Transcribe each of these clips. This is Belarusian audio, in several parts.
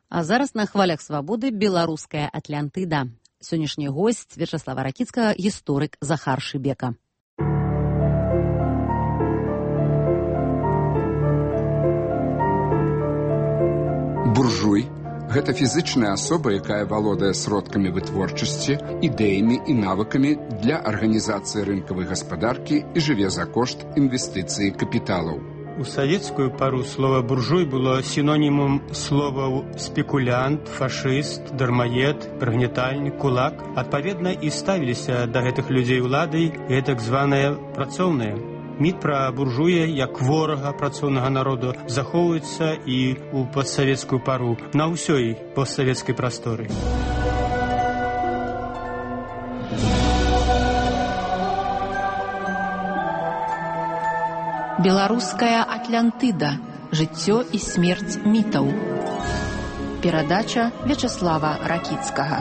А зараз на хвалях свабоды беларуская Атлантыда. Сённяшні госць Вячаслава Ракіцкага, гісторык Захар Шыбека. Буржуй – гэта фізычная асоба, якая валодае сродкамі вытворчасці, ідэямі і навыкамі для арганізацыі рынкавай гаспадаркі і жыве за кошт інвестыцыі капіталаў. У савецкую пару слова «буржуй» было синонімом словаў «спекулянт», «фашыст», «дармаед», «прыгнятальнік», «кулак». Адпаведна і ставіліся да гэтых людзей уладай гэтак званыя працоўныя. Міт пра буржуя як ворага працоўнага народу захоўваецца і ў постсавецкую пару на ўсёй постсавецкай прасторы. Беларуская Атлантыда. Жыццё і смерць мітаў. Перадача Вячаслава Ракіцкага.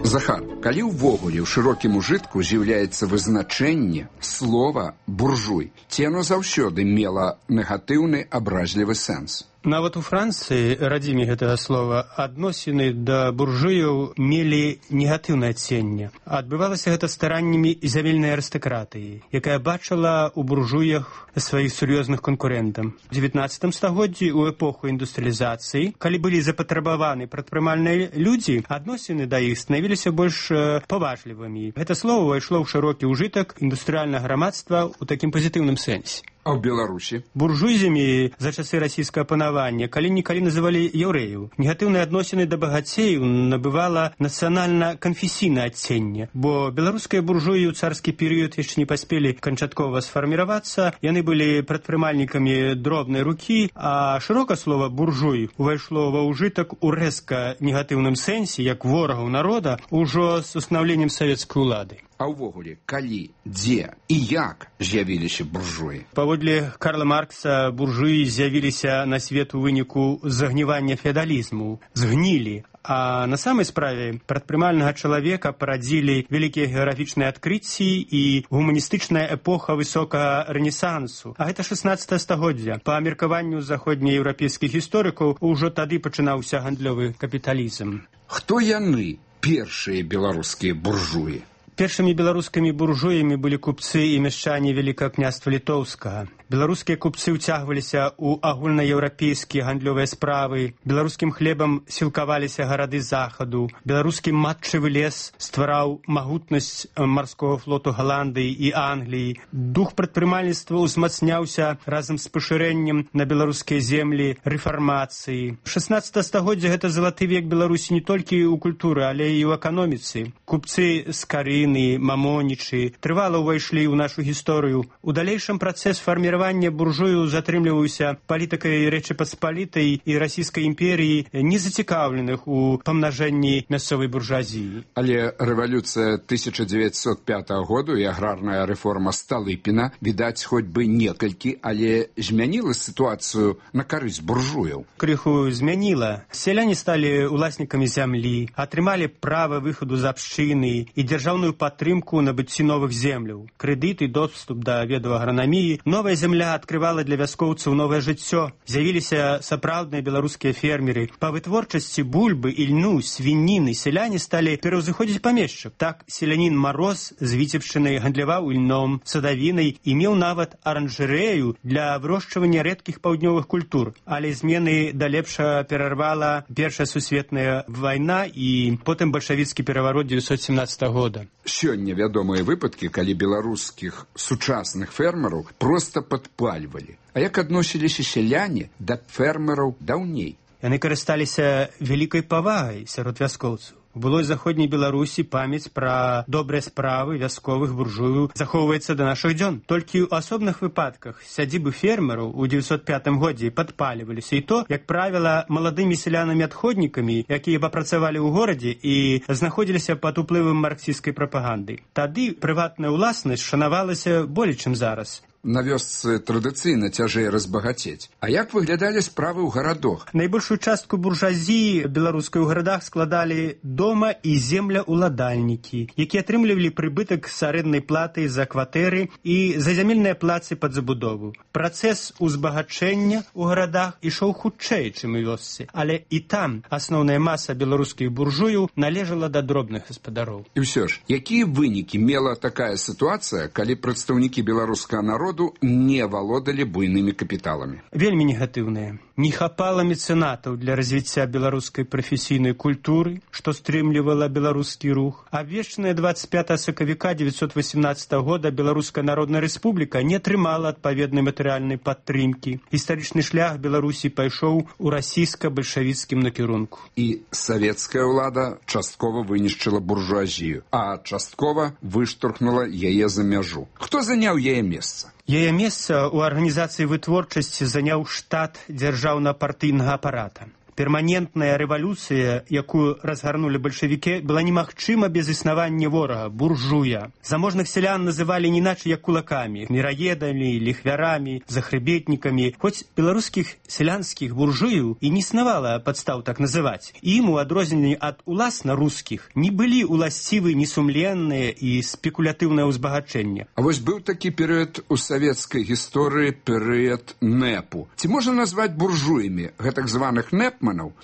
Захар, калі ўвогуле ў шырокім ужытку з'яўляецца вызначэнне слова «буржуй», ці яно заўсёды мела негатыўны абразлівы сэнс? Нават у Францыі, радзіме гэтага слова, адносіны да буржуяў мелі негатыўнае адценне. Адбывалася гэта стараннямі зямельнай арыстакратыі, якая бачыла ў буржуях сваіх сур'ёзных канкурэнтаў. У 19 стагоддзі, у эпоху індустрыялізацыі, калі былі запатрабаваны прадпрымальныя людзі, адносіны да іх станавіліся больш паважлівымі. Гэта слова ўвайшло ў шырокі ўжытак індустрыяльнага грамадства ў такім пазітыўным сэнсе. А ў Беларусі? Буржуйзамі за часы расійскага панавання калі-нікалі называлі яўрэяў. Негатыўныя адносіны да багацеяў набывала нацыянальна-канфесійнае адценне, бо беларускія буржуі ў царскі перыяд яшчэ не паспелі канчаткова сфарміравацца, яны былі прадпрымальнікамі дробнай рукі, а шырока слова «буржуй» увайшло ва ўжытак у рэзка негатыўным сэнсе, як ворагаў народа, ужо з устанаўленнем савецкай улады. А ўвогуле, калі, дзе і як з'явіліся буржуі? Паводле Карла Маркса, буржуі з'явіліся на свет у выніку загнівання феадалізму, згнілі. А на самай справе прадпрымальнага чалавека парадзілі вялікія геаграфічныя адкрыцці і гуманістычная эпоха высокага рэнесансу. А гэта 16 стагоддзя. Па меркаванню заходнееўрапейскіх гісторыкаў, ужо тады пачынаўся гандлёвы капіталізм. Хто яны, першыя беларускія буржуі? Першымі беларускімі буржуямі былі купцы і мяшчане Вялікага княства Літоўскага. Беларускія купцы ўцягваліся ў агульнаеўрапейскія гандлёвыя справы, беларускім хлебам сілкаваліся гарады захаду, беларускі матчавы лес ствараў магутнасць марскога флоту Галандыі і Англіі. Дух прадпрымальніцтва ўзмацняўся разам з пашырэннем на беларускія землі рэфармацыі. 16 стагоддзя гэта залаты век Беларусі не толькі ў культуры, але і ў эканоміцы. Купцы з Карыны, Мамонічы трывала ўвайшлі ў нашу гісторыю. У далейшым працэс фарміравання буржуяў затрымліваўся палітыкай Рэчы Паспалітай і расійскай імперіі, не зацікаўленых у памнажэнні мясцовай буржуазіі. Але рэвалюцыя 1905 году і аграрная рэформа Сталыпіна, відаць, хоць бы некалькі, але змяніла сітуацыю на карысць буржуяў. Крыху змяніла. Сяляне сталі уласнікамі зямлі, атрымалі права выхаду з абшчыны і дзяржаўную падтрымку набыцці новых земляў, крэдыт і доступ да ведаў агранаміі. Новая зямля адкрывала для вяскоўцаў новае жыццё. З'явіліся сапраўдныя беларускія фермеры. Па вытворчасці бульбы, ільну, свініны сяляне сталі пераўзыходзіць памешчык. Так селянін Мароз з Віцебшчыны гандляваў ільном, садавінай і меў нават аранжарэю для вырошчвання рэдкіх паўднёвых культур. Але змены да лепшага перарвала Першая сусветная вайна і потым бальшавіцкі пераварот 1917 года. Сёння вядомыя выпадкі, калі беларускіх сучасных фермераў проста падпальвалі. А як адносіліся сяляне да фермераў даўней? Яны карысталіся вялікай павагай сярод вяскоўцаў. У былой заходняй Беларусі памяць пра добрыя справы вясковых буржуяў захоўваецца да нашых дзён. Толькі ў асобных выпадках сядзібы фермераў у 905 годзе падпаліваліся, і то, як правіла, маладымі сялянамі-адходнікамі, якія папрацавалі ў горадзе і знаходзіліся пад уплывам марксісцкай прапаганды. Тады прыватная ўласнасць шанавалася болей, чым зараз. на вёсцы традыцыйна цяжэй разбагацець. А як выглядалі справы ў гарадах? Найбольшую частку буржуазіі беларускай у гарадах складалі дома і земляуладальнікі, якія атрымлівалі прыбытак з арэнднай платы за кватэры і за зямельныя плацы пад забудову. Працэс узбагачэння ў гарадах ішоў хутчэй, чым у вёсцы, але і там асноўная маса беларускіх буржуяў належала да дробных гаспадароў. І ўсё ж, якія вынікі мела такая сітуацыя, калі прадстаўнікі беларускага народу не валодалі буйнымі капіталамі? Вельмі негатыўныя. Не хапала мецэнатаў для развіцця беларускай прафесійнай культуры, што стрымлівала беларускі рух. Абвешчаная 25 сакавіка 1918 года Беларуская Народная Рэспубліка не атрымала адпаведнай матэрыяльнай падтрымкі. Гістарычны шлях Беларусі пайшоў у расійска-бальшавіцкім накірунку. І савецкая ўлада часткова вынішчыла буржуазію, а часткова выштурхнула яе за мяжу. Хто заняў яе месца? Яе месца ў арганізацыі вытворчасці заняў штат дзяржаўна-партыйнага апарата. Перманентная рэвалюцыя, якую разгарнулі бальшавікі, была немагчыма без існавання ворага, буржуя. Заможных сялян называлі не іначай як кулакамі, міраедамі, ліхвярамі, захрыбетнікамі. Хоць беларускіх сялянскіх буржуяў і не існавала падстаў так называць. Ім, у адрозненні ад уласна рускіх, не былі уласцівы несумленныя і спекулятыўнае ўзбагачэнне. А вось быў такі перыяд у савецкай гісторыі, перыяд НЭПу. Ці можна назваць буржуямі гэтак званых НЭП?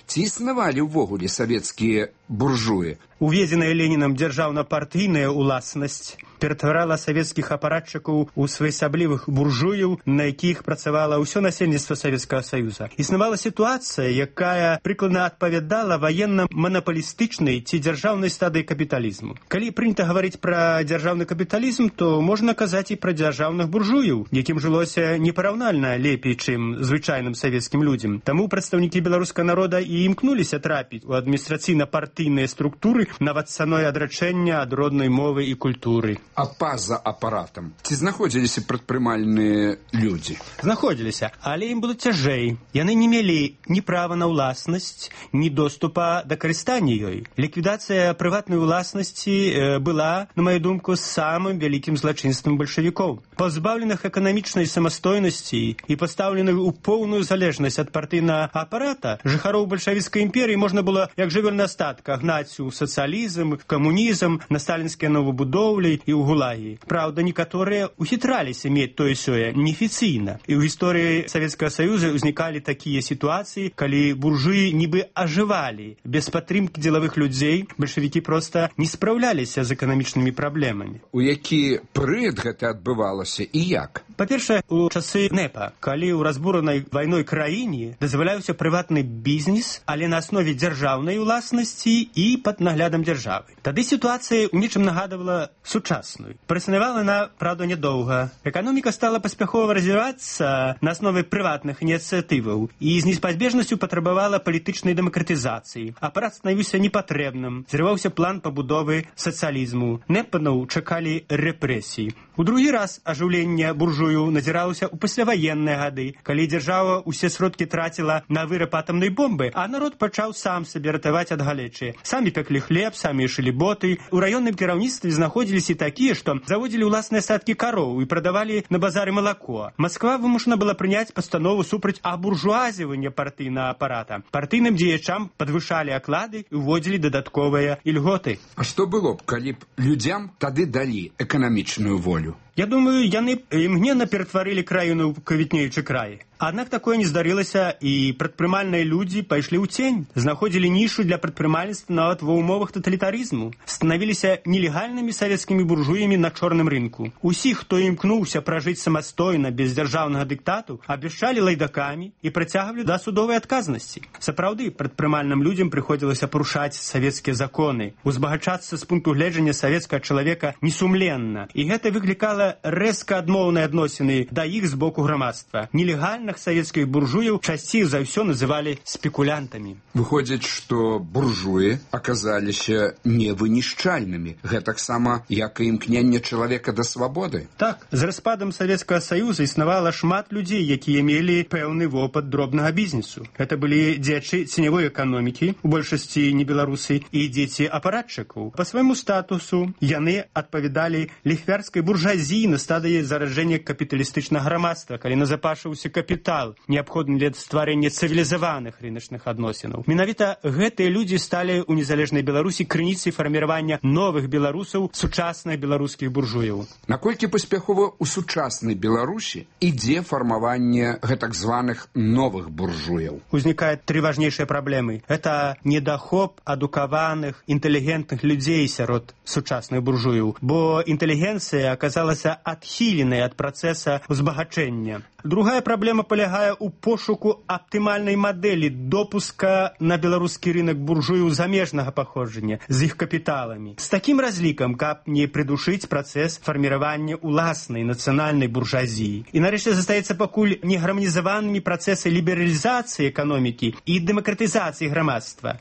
Ці існавалі ўвогуле савецкія буржуі? Уведзеная Ленінам дзяржаўна-партыйная ўласнасць ператварала савецкіх апаратчыкаў у своеасаблівых буржуяў, на якіх працавала ўсё насельніцтва Савецкага Саюза. Існавала сітуацыя, якая прыкладна адпавядала ваенна-манапалістычнай ці дзяржаўнай стадыі капіталізму. Калі прынята гаварыць пра дзяржаўны капіталізм, то можна казаць і пра дзяржаўных буржуяў, якім жылося непараўнальна лепей, чым звычайным савецкім людзям. Таму прадстаўнікі беларускага народа і імкнуліся трапіць у адміністрацыйна-партыйныя структуры нават цаной адрачэння ад роднай мовы і культуры. А па-за апаратам ці знаходзіліся прадпрымальныя людзі? Знаходзіліся, але ім было цяжэй. Яны не мелі ні права на ўласнасць, ні доступа да карыстання ёй. Ліквідацыя прыватнай уласнасці была, на маю думку, самым вялікім злачынствам бальшавікоў. Пазбаўленых эканамічнай самастойнасці і пастаўленых у поўную залежнасць ад партыйнага апарата, жыхароў бальшавіцкай імперіі можна было, як жывёльны астатка, гнаць у сацыялізм, камунізм, на сталінскія новабудоўлі і ў гулагі. Праўда, некаторыя ухітраліся мець тое-сёе неафіцыйна. І ў гісторыі Савецкага Саюза ўзнікалі такія сітуацыі, калі буржуі нібы ажывалі. Без падтрымкі дзелавых людзей бальшавікі проста не спраўляліся з эканамічнымі праблемамі. У які перыяд гэта адбывалася і як? Па-першае, у часы НЭПа, калі ў разбуранай вайной краіне дазваляўся прыватны бізнес, але на аснове дзяржаўнай уласнасці і пад наглядам дзяржавы. Тады сітуацыя ў нечым нагадывала сучасную. Праіснавала она, правда, нядоўга. Эканоміка стала паспяхова развівацца на аснове прыватных ініцыятываў і з неспазбежнасцю патрабавала палітычнай дэмакратызацыі. Апарат станавіўся непатрэбным. Зрываўся план пабудовы сацыялізму. НЭПанаў чакалі рэпрэсій. У другі раз ажыўленне буржуяў назіралася ў пасляваенныя гады, калі дзяржава ўсе сродкі траціла на выраб атамнай бомбы, а народ пачаў сам сабе ратаваць ад галечы. Самі пеклі хлеб, самі шылі боты. У раённым кіраўніцтве знаходзіліся такія, што заводзілі ўласныя статкі кароў і прадавалі на базары малако. Масква вымушана была прыняць пастанову супраць абуржуазівання партыйнага апарата. Партыйным дзеячам падвышалі аклады і ўводзілі дадатковыя ільготы. А што было б, калі б людзям тады далі эканамічную волю? Я думаю, яны імгненна ператварылі краіну ў квітнеючы край. Аднак такое не здарылася, і прадпрымальныя людзі пайшлі ў цень, знаходзілі нішу для прадпрымальніцтва нават ва ўмовах таталітарызму, станавіліся нелегальнымі савецкімі буржуямі на чорным рынку. Усіх, хто імкнуўся пражыць самастойна без дзяржаўнага дыктату, абвяшчалі лайдакамі і прыцягвалі да судовай адказнасці. Сапраўды, прадпрымальным людзям прыходзілася парушаць савецкія законы, узбагачацца з пункту гледжання савецкага чалавека несумленна, і гэта выклікала рэзка адмоўныя адносіны да іх з боку грамадства. Нелегальных савецкіх буржуяў часцей за ўсё называлі спекулянтамі. Выходзіць, што буржуі аказаліся невынішчальнымі, гэтаксама, як і імкненне чалавека да свабоды. Так, з распадам Савецкага Саюза існавала шмат людзей, якія мелі пэўны вопыт дробнага бізнесу. Гэта былі дзеячы ценявой эканомікі, у большасці не беларусы, і дзеці апаратчыкаў. Па свайму статусу яны адпавядалі ліхвярскай буржуазіі буржуі на стадыі зараджэння капіталістычнага грамадства, калі назапашыўся капітал, неабходны для стварэння цывілізаваных рыначных адносінаў. Менавіта гэтыя людзі сталі ў незалежнай Беларусі крыніцай фарміравання новых беларусаў, сучасных беларускіх буржуяў. Наколькі паспяхова ў сучаснай Беларусі ідзе фармаванне гэтак званых новых буржуяў? Узнікаюць тры важнейшыя праблемы. Гэта недахоп адукаваных, інтэлігентных людзей сярод сучасных буржуяў, бо інтэлігенцыя аказалася адхіленай ад працэса узбагачэння. Другая праблема палягае ў пошуку аптымальнай мадэлі допуска на беларускі рынак буржуяў замежнага паходжання з іх капіталамі. З такім разлікам, каб не прыдушыць працэс фарміравання ўласнай нацыянальнай буржуазіі. І нарэшце застаецца пакуль негарманізаванымі працэсы лібералізацыі эканомікі і дэмакратызацыі грамадства.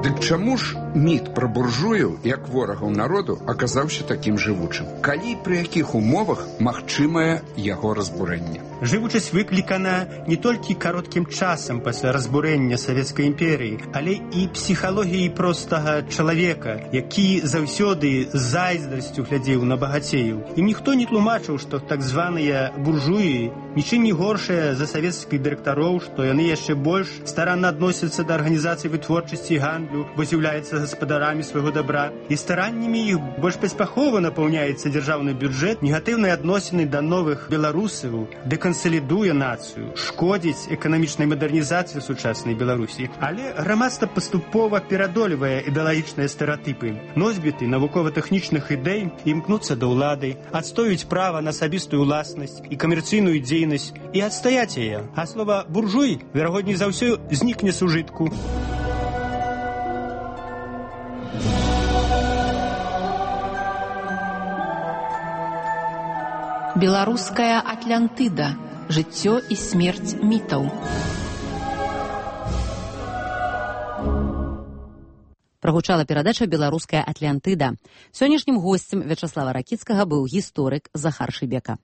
Дык чаму ж міт пра буржуяў, як ворагаў народу, аказаўся такім жывучым? Калі і пры якіх умовах магчымае яго разбурэнне? Жывучасць выклікана не толькі кароткім часам пасля разбурэння Савецкай імперіі, але і псіхалогіяй простага чалавека, які заўсёды з зайздрасцю глядзеў на багацеяў. І ніхто не тлумачыў, што так званыя буржуі нічым не горшыя за савецкіх дырэктароў, што яны яшчэ больш старанна адносяцца да арганізацыі вытворчасці і гандлю, бо з'яўляюцца гаспадарамі свайго дабра. І стараннямі іх больш паспяхова напаўняецца дзяржаўны бюджэт, негатыўныя адносіны да новых беларусаў дэкансалідуе нацыю, шкодзіць эканамічнай мадэрнізацыі сучаснай Беларусі. Але грамадства паступова перадолевае ідэалагічныя стэрэатыпы. Носьбіты навукова-тэхнічных ідэй імкнуцца да ўлады, адстоюць права на асабістую ўласнасць і камерцыйную дзейнасць і адстаяць яе. А слова буржуй, верагодней за ўсё, знікне з ужытку. Беларуская Атлантыда. Жыццё і смерць мітаў. Прагучала перадача «Беларуская Атлантыда». Сённяшнім госцем Вячаслава Ракіцкага быў гісторык Захар Шыбека.